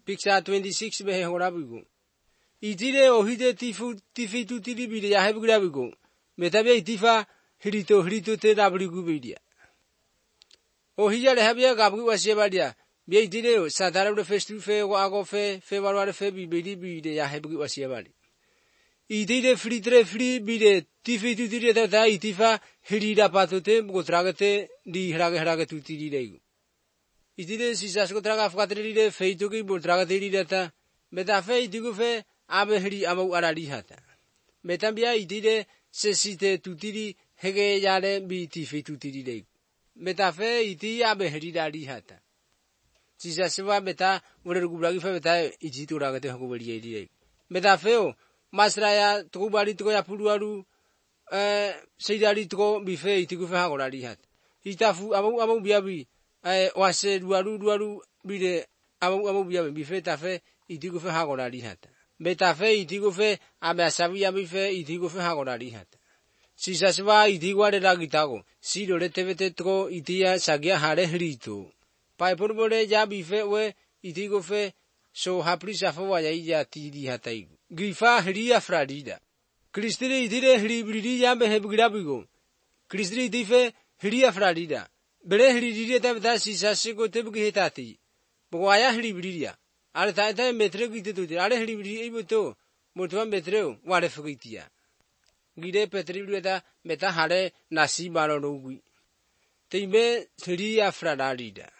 Picture 26 behe horabigo. Idire ohide tifitu tilibide ya hebgrabigo. Metabe itifa hirito te rabrigu bidia. Ohija lehabia gabgu wasiebadia. Bia idire sadara face to fe wago fe warware fe bide ya hebgu wasiebadi. Idire free bide tifitu tilide ta itifa hirida patote gotragate di hrage tutilidegu. Idire sisas gotraga afkatride feito ki botraga data. Metafe idigufe abe hiri amau arali hata. Metambia idire sesite tutiri hege yale bi tifitu tilide. Metafe iti abe hiri dali hata. Sisaswa meta uregubragi fe meta ijitu ragate hakubali idire. Metafeo masraya tukubali tuko ya puluaru seidari tuko bife itigufe hagorali hata. Itafu amau biabi wase duaru bide amu biabe bife tafe itigufe hagorali hata. Metafe itigufe abe asabi bife itigufe hagorali hata. Sisaswa itigware ragitago siro retevete tuko itia sagia hare hrito. Paipurbole ja bife we itigufe so hapri safo waya ija tidi hatai. Grifa hria fradida. Kristri itire hribridi jambe hebgrabigo. Kristri itife hria fradida. Bere hridiria tabda sisase ko tebgi hetati. Bogaya hribridia. Ale ta metre gitetu. Ale hribridia ibuto. Motuan metreo wale fugitia. Gide petribriada meta hare nasi barorogui. Teime hria fradida.